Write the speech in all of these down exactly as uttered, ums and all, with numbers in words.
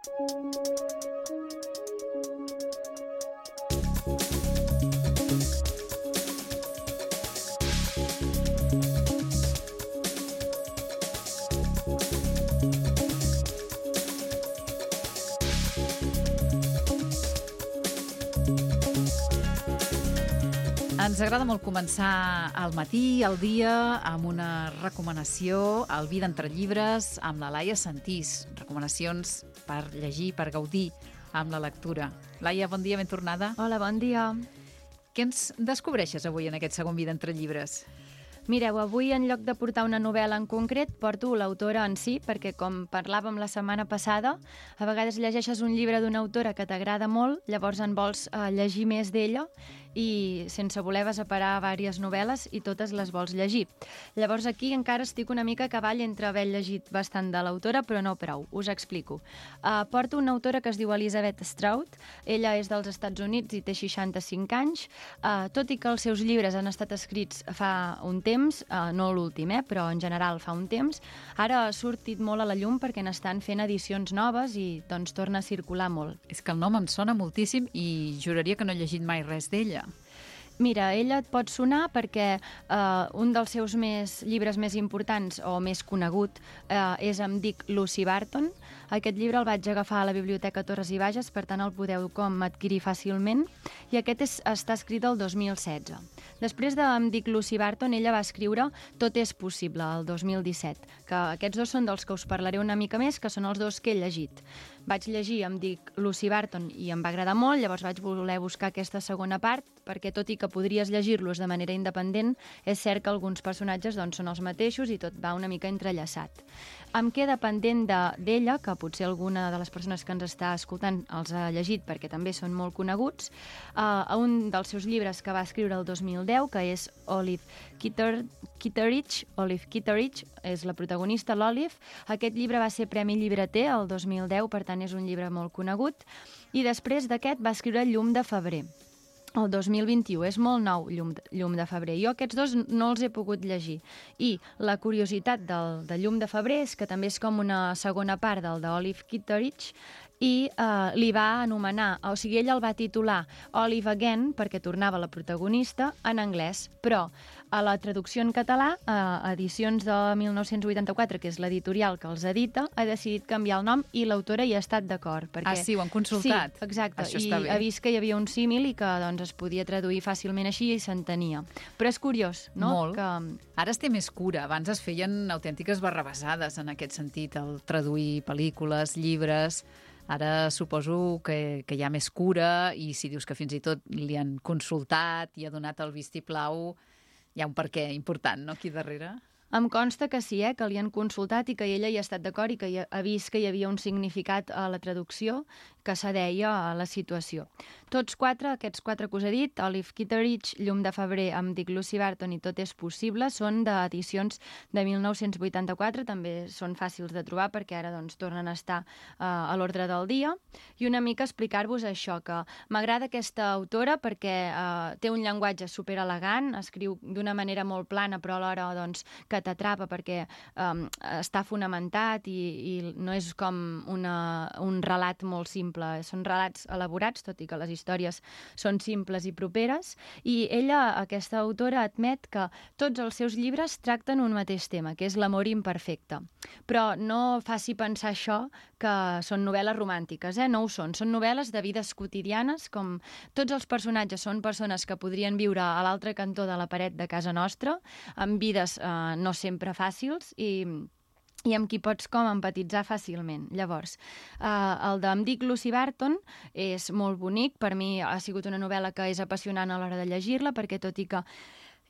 Ens agrada molt començar al matí, el dia, amb una recomanació al Vida entre llibres amb la Laia Sentís. Recomanacions per llegir, per gaudir amb la lectura. Laia, bon dia, ben tornada. Hola, bon dia. Què ens descobreixes avui en aquest segon Vida entre llibres? Mireu, avui en lloc de portar una novel·la en concret, porto l'autora en si, perquè com parlàvem la setmana passada, a vegades llegeixes un llibre d'una autora que t'agrada molt, llavors en vols eh, llegir més d'ella i sense voler vas a parar diverses novel·les i totes les vols llegir. Llavors aquí encara estic una mica a cavall entre haver llegit bastant de l'autora, però no prou, us explico. Uh, porto una autora que es diu Elizabeth Strout, ella és dels Estats Units i té seixanta-cinc anys, uh, tot i que els seus llibres han estat escrits fa un temps, temps, eh, no l'últim, eh, però en general fa un temps, ara ha sortit molt a la llum perquè n'estan fent edicions noves i doncs torna a circular molt. És que el nom em sona moltíssim i juraria que no he llegit mai res d'ella. Mira, ella et pot sonar perquè eh, un dels seus més, llibres més importants o més conegut eh, és Em dic Lucy Barton. Aquest llibre el vaig agafar a la Biblioteca Torres i Bages, per tant el podeu com adquirir fàcilment, i aquest és, està escrit el dos mil setze. Després de Em dic Lucy Barton, ella va escriure Tot és possible, el dos mil disset, que aquests dos són dels que us parlaré una mica més, que són els dos que he llegit. Vaig llegir Em dic Lucy Barton i em va agradar molt, llavors vaig voler buscar aquesta segona part, perquè tot i que podries llegir-los de manera independent, és cert que alguns personatges doncs, són els mateixos i tot va una mica entrellaçat. Em queda pendent d'ella, que potser alguna de les persones que ens està escoltant els ha llegit perquè també són molt coneguts, uh, un dels seus llibres que va escriure el dos mil deu, que és Olive Kitter, Kitteridge, Olive Kitteridge, és la protagonista, l'Olive. Aquest llibre va ser Premi Llibreter el dos mil deu, per tant és un llibre molt conegut, i després d'aquest va escriure Llum de febrer, el dos mil vint-i-u, és molt nou, Llum de, Llum de febrer. Jo aquests dos no els he pogut llegir. I la curiositat del, de Llum de febrer és que també és com una segona part del d'Olive Kitteridge, i eh, li va anomenar, o sigui, ell el va titular Olive Again, perquè tornava la protagonista, en anglès, però a la traducció en català, a edicions de mil nou-cents vuitanta-quatre, que és l'editorial que els edita, ha decidit canviar el nom i l'autora hi ha estat d'acord. Perquè... Ah, sí, ho han consultat? Sí, exacte, això i ha vist que hi havia un símil i que doncs, es podia traduir fàcilment així i s'entenia. Però és curiós, no? Molt. Que... Ara es té més cura. Abans es feien autèntiques barrabassades en aquest sentit, el traduir pel·lícules, llibres... Ara suposo que, que hi ha més cura i si dius que fins i tot li han consultat i ha donat el vistiplau, hi ha un perquè important, no?, aquí darrere. Em consta que sí, eh, que li han consultat i que ella hi ha estat d'acord i que ha vist que hi havia un significat a la traducció que s'adeia a la situació. Tots quatre, aquests quatre que us he dit, Olive Kitteridge, Llum de febrer, Em dic Lucy Barton i Tot és possible, són d'edicions de mil nou-cents vuitanta-quatre, també són fàcils de trobar perquè ara doncs, tornen a estar uh, a l'ordre del dia. I una mica explicar-vos això, que m'agrada aquesta autora perquè uh, té un llenguatge superelegant, escriu d'una manera molt plana però alhora doncs, que t'atrapa perquè um, està fonamentat i, i no és com una, un relat molt simple, són relats elaborats, tot i que les històries són simples i properes, i ella, aquesta autora, admet que tots els seus llibres tracten un mateix tema, que és l'amor imperfecte. Però no faci pensar això que són novel·les romàntiques, eh? No ho són, són novel·les de vides quotidianes, com tots els personatges són persones que podrien viure a l'altre cantó de la paret de casa nostra, amb vides eh, no sempre fàcils i, i amb qui pots com empatitzar fàcilment. Llavors, eh, el d'Em dic Lucy Barton és molt bonic, per mi ha sigut una novel·la que és apassionant a l'hora de llegir-la, perquè tot i que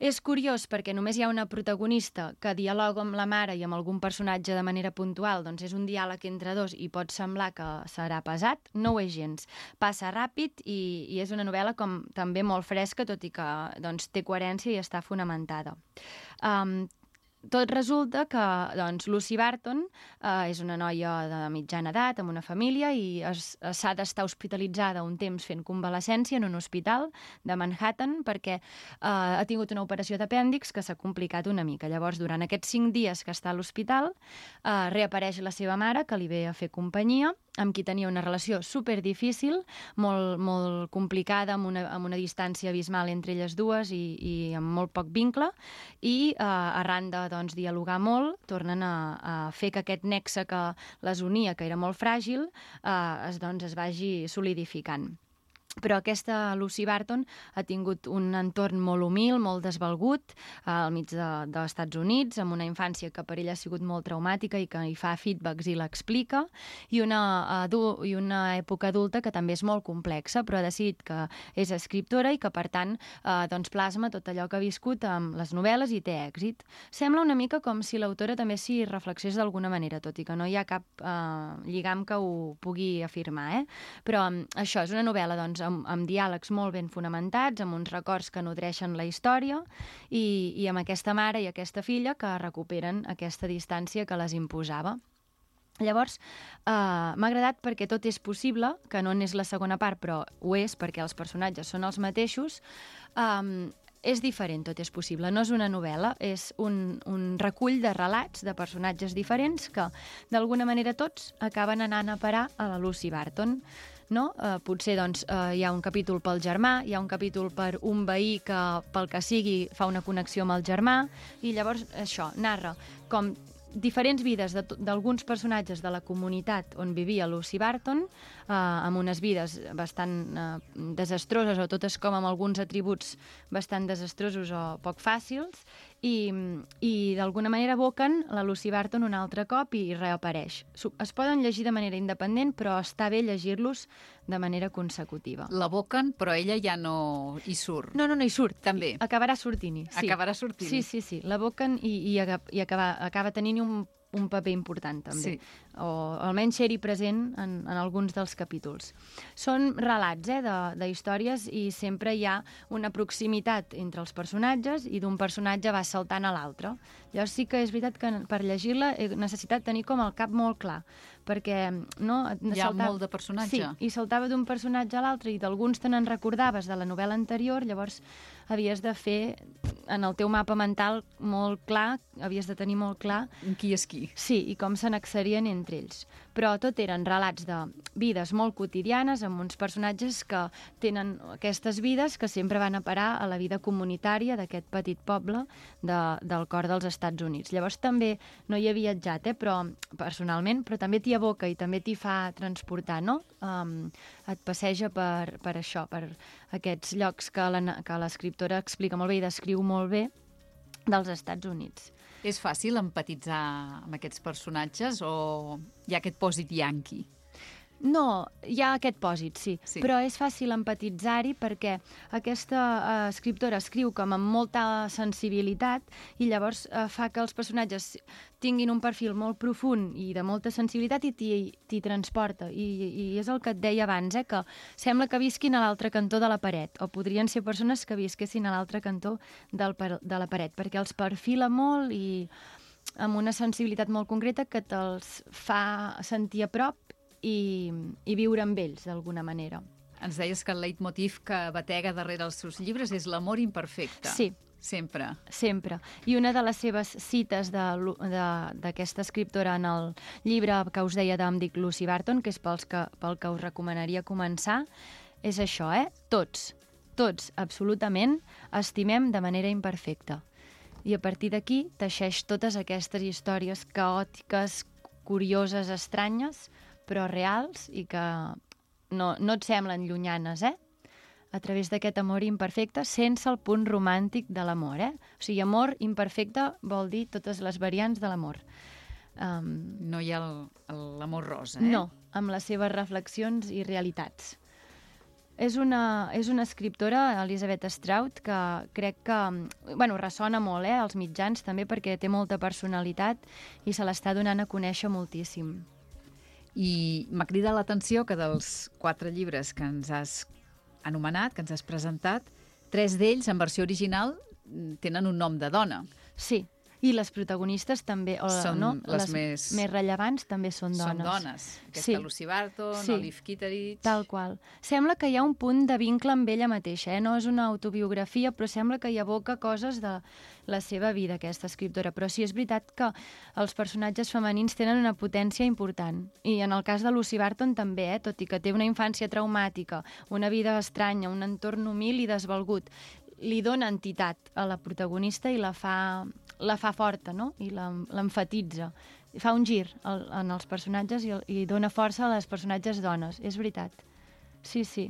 és curiós perquè només hi ha una protagonista que dialoga amb la mare i amb algun personatge de manera puntual, doncs és un diàleg entre dos i pot semblar que serà pesat, no ho és gens. Passa ràpid i, i és una novel·la com també molt fresca, tot i que doncs, té coherència i està fonamentada. Um, Tot resulta que doncs, Lucy Barton eh, és una noia de mitjana edat, amb una família, i s'ha d'estar hospitalitzada un temps fent convalescència en un hospital de Manhattan perquè eh, ha tingut una operació d'apèndix que s'ha complicat una mica. Llavors, durant aquests cinc dies que està a l'hospital, eh, reapareix la seva mare, que li ve a fer companyia, amb qui tenia una relació super difícil, molt, molt complicada, amb una, amb una distància abismal entre elles dues i, i amb molt poc vincle, i eh, arran de doncs, dialogar molt, tornen a, a fer que aquest nexe que les unia, que era molt fràgil, eh, es, doncs, es vagi solidificant. Però aquesta Lucy Barton ha tingut un entorn molt humil, molt desvalgut, eh, al mig de, dels Estats Units, amb una infància que per ella ha sigut molt traumàtica i que hi fa feedbacks i l'explica, i una, adu i una època adulta que també és molt complexa, però ha decidit que és escriptora i que, per tant, eh, doncs plasma tot allò que ha viscut amb les novel·les i té èxit. Sembla una mica com si l'autora també s'hi reflexés d'alguna manera, tot i que no hi ha cap eh, lligam que ho pugui afirmar, eh? Però això és una novel·la, doncs, amb, amb diàlegs molt ben fonamentats, amb uns records que nodreixen la història i, i amb aquesta mare i aquesta filla que recuperen aquesta distància que les imposava. Llavors, eh, m'ha agradat perquè tot és possible, que no n'és la segona part, però ho és perquè els personatges són els mateixos. Eh, és diferent, tot és possible. No és una novel·la, és un, un recull de relats de personatges diferents que, d'alguna manera, tots acaben anant a parar a la Lucy Barton. No? Eh, potser doncs, eh, hi ha un capítol pel germà, hi ha un capítol per un veí que, pel que sigui, fa una connexió amb el germà, i llavors això, narra com diferents vides d'alguns personatges de la comunitat on vivia Lucy Barton, eh, amb unes vides bastant eh, desastroses, o totes com amb alguns atributs bastant desastrosos o poc fàcils, i, i d'alguna manera evoquen la Lucy Barton un altre cop i reapareix. Es poden llegir de manera independent, però està bé llegir-los de manera consecutiva. L'evoquen, però ella ja no hi surt. No, no, no hi surt. També. Acabarà sortint-hi. Sí. Acabarà sortint-hi. Sí, sí, sí. L'evoquen i, i, i acaba, acaba tenint un un paper important, també. Sí. O almenys ser-hi present en, en alguns dels capítols. Són relats eh, de, de històries i sempre hi ha una proximitat entre els personatges i d'un personatge va saltant a l'altre. Llavors sí que és veritat que per llegir-la he necessitat tenir com el cap molt clar, perquè no, hi ha saltava... molt de personatge. Sí, i saltava d'un personatge a l'altre i d'alguns te n'en recordaves de la novel·la anterior, llavors havies de fer en el teu mapa mental molt clar, havies de tenir molt clar qui és qui. Sí, i com s'annexarien entre ells. Però tot eren relats de vides molt quotidianes amb uns personatges que tenen aquestes vides que sempre van a parar a la vida comunitària d'aquest petit poble de, del cor dels Estats Units. Llavors també no hi he viatjat, eh, però personalment, però també t'hi aboca i també t'hi fa transportar, no? Um, et passeja per, per això, per aquests llocs que l'escriptora explica molt bé i descriu molt bé dels Estats Units. És fàcil empatitzar amb aquests personatges o hi ha aquest pòsit yanqui? No, hi ha aquest pòsit, sí, sí. Però és fàcil empatitzar-hi perquè aquesta uh, escriptora escriu com amb molta sensibilitat i llavors uh, fa que els personatges tinguin un perfil molt profund i de molta sensibilitat i t'hi transporta. I, I és el que et deia abans, eh, que sembla que visquin a l'altre cantó de la paret, o podrien ser persones que visquessin a l'altre cantó del, de la paret, perquè els perfila molt i amb una sensibilitat molt concreta que te'ls fa sentir a prop i, i viure amb ells, d'alguna manera. Ens deies que el leitmotiv que batega darrere els seus llibres és l'amor imperfecte. Sí. Sempre. Sempre. I una de les seves cites d'aquesta escriptora en el llibre que us deia d'Em dic Lucy Barton, que és pels que, pel que us recomanaria començar, és això, eh? Tots, tots, absolutament, estimem de manera imperfecta. I a partir d'aquí teixeix totes aquestes històries caòtiques, curioses, estranyes, però reals i que no, no et semblen llunyanes, eh? A través d'aquest amor imperfecte, sense el punt romàntic de l'amor, eh? O sigui, amor imperfecte vol dir totes les variants de l'amor. Um, no hi ha l'amor rosa, eh? No, amb les seves reflexions i realitats. És una, és una escriptora, Elizabeth Strout, que crec que bueno, ressona molt eh, als mitjans, també perquè té molta personalitat i se l'està donant a conèixer moltíssim. I m'ha cridat l'atenció que dels quatre llibres que ens has anomenat, que ens has presentat, tres d'ells, en versió original, tenen un nom de dona. Sí. I les protagonistes també, o, són no? les, les més... més rellevants també són dones. Són dones. Aquesta sí. Lucy Barton, sí. Olive Kitteridge... Tal qual. Sembla que hi ha un punt de vincle amb ella mateixa, eh? No és una autobiografia, però sembla que hi evoca coses de la seva vida, aquesta escriptora. Però sí, és veritat que els personatges femenins tenen una potència important. I en el cas de Lucy Barton també, eh? Tot i que té una infància traumàtica, una vida estranya, un entorn humil i desvalgut, li dona entitat a la protagonista i la fa, la fa forta, no? I l'emfatitza. Fa un gir al, en els personatges i, i dona força a les personatges dones. És veritat. Sí, sí.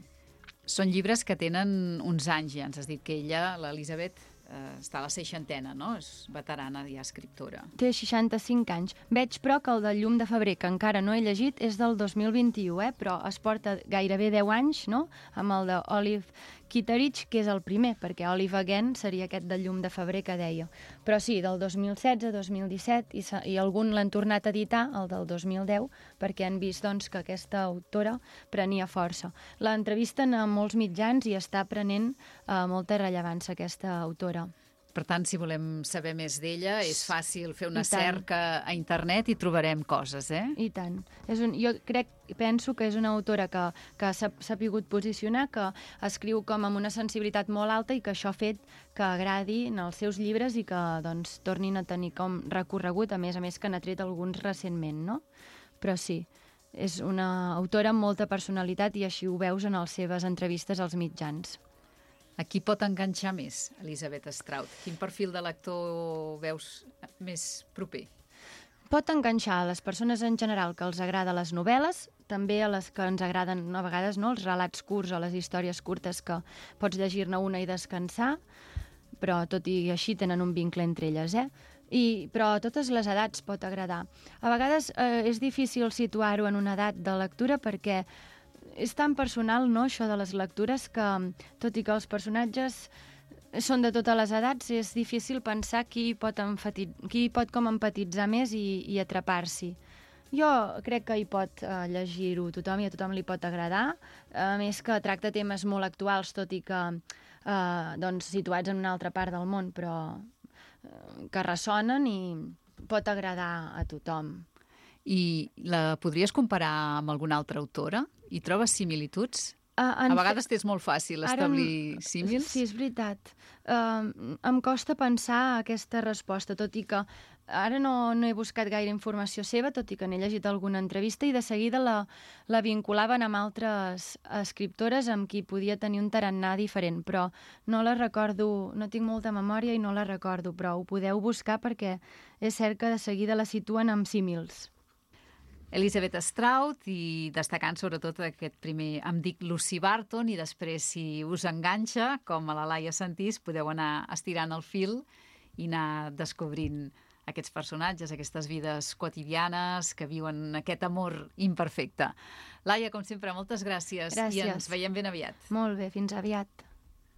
Són llibres que tenen uns anys, ja ens has dit que ella, l'Elisabet, eh, està a la seixantena, no? És veterana ja escriptora. Té seixanta-cinc anys. Veig, però, que el del Llum de febrer, que encara no he llegit, és del dos mil vint-i-u, eh? Però es porta gairebé deu anys, no?, amb el d'Olive Kitteridge, que és el primer, perquè Olive Again seria aquest del Llum de febrer que deia. Però sí, del dos mil setze, dos mil disset, i, i algun l'han tornat a editar, el del dos mil deu, perquè han vist doncs, que aquesta autora prenia força. L'entrevisten a molts mitjans i està prenent eh, molta rellevància aquesta autora. Per tant, si volem saber més d'ella, és fàcil fer una I tant. cerca a internet i trobarem coses, eh? I tant. És un, jo crec, penso que és una autora que, que s'ha sapigut posicionar, que escriu com amb una sensibilitat molt alta i que això ha fet que agradi en els seus llibres i que doncs, tornin a tenir com recorregut, a més a més que n'ha tret alguns recentment, no? Però sí, és una autora amb molta personalitat i així ho veus en les seves entrevistes als mitjans. A qui pot enganxar més, Elisabet Strout? Quin perfil de lector veus més proper? Pot enganxar a les persones en general que els agrada les novel·les, també a les que ens agraden a vegades, no?, els relats curts o les històries curtes que pots llegir-ne una i descansar, però tot i així tenen un vincle entre elles, eh? I, però a totes les edats pot agradar. A vegades eh, és difícil situar-ho en una edat de lectura perquè és tan personal, no?, això de les lectures, que tot i que els personatges són de totes les edats, és difícil pensar qui pot, enfati... qui pot com empatitzar més i, i atrapar-s'hi. Jo crec que hi pot eh, llegir-ho tothom i a tothom li pot agradar, a més que tracta temes molt actuals, tot i que eh, doncs, situats en una altra part del món, però eh, que ressonen i pot agradar a tothom. I la podries comparar amb alguna altra autora? Hi trobes similituds? Uh, a vegades fe... és molt fàcil establir Ara, símils. Sí, és veritat. Uh, em costa pensar aquesta resposta, tot i que ara no, no he buscat gaire informació seva, tot i que n'he llegit alguna entrevista, i de seguida la, la vinculaven amb altres escriptores amb qui podia tenir un tarannà diferent, però no la recordo, no tinc molta memòria i no la recordo, però ho podeu buscar perquè és cert que de seguida la situen amb símils. Elisabet Strout, i destacant sobretot aquest primer Em dic Lucy Barton, i després, si us enganxa, com a la Laia Sentís, podeu anar estirant el fil i anar descobrint aquests personatges, aquestes vides quotidianes que viuen aquest amor imperfecte. Laia, com sempre, moltes gràcies. Gràcies. I ens veiem ben aviat. Molt bé, fins aviat.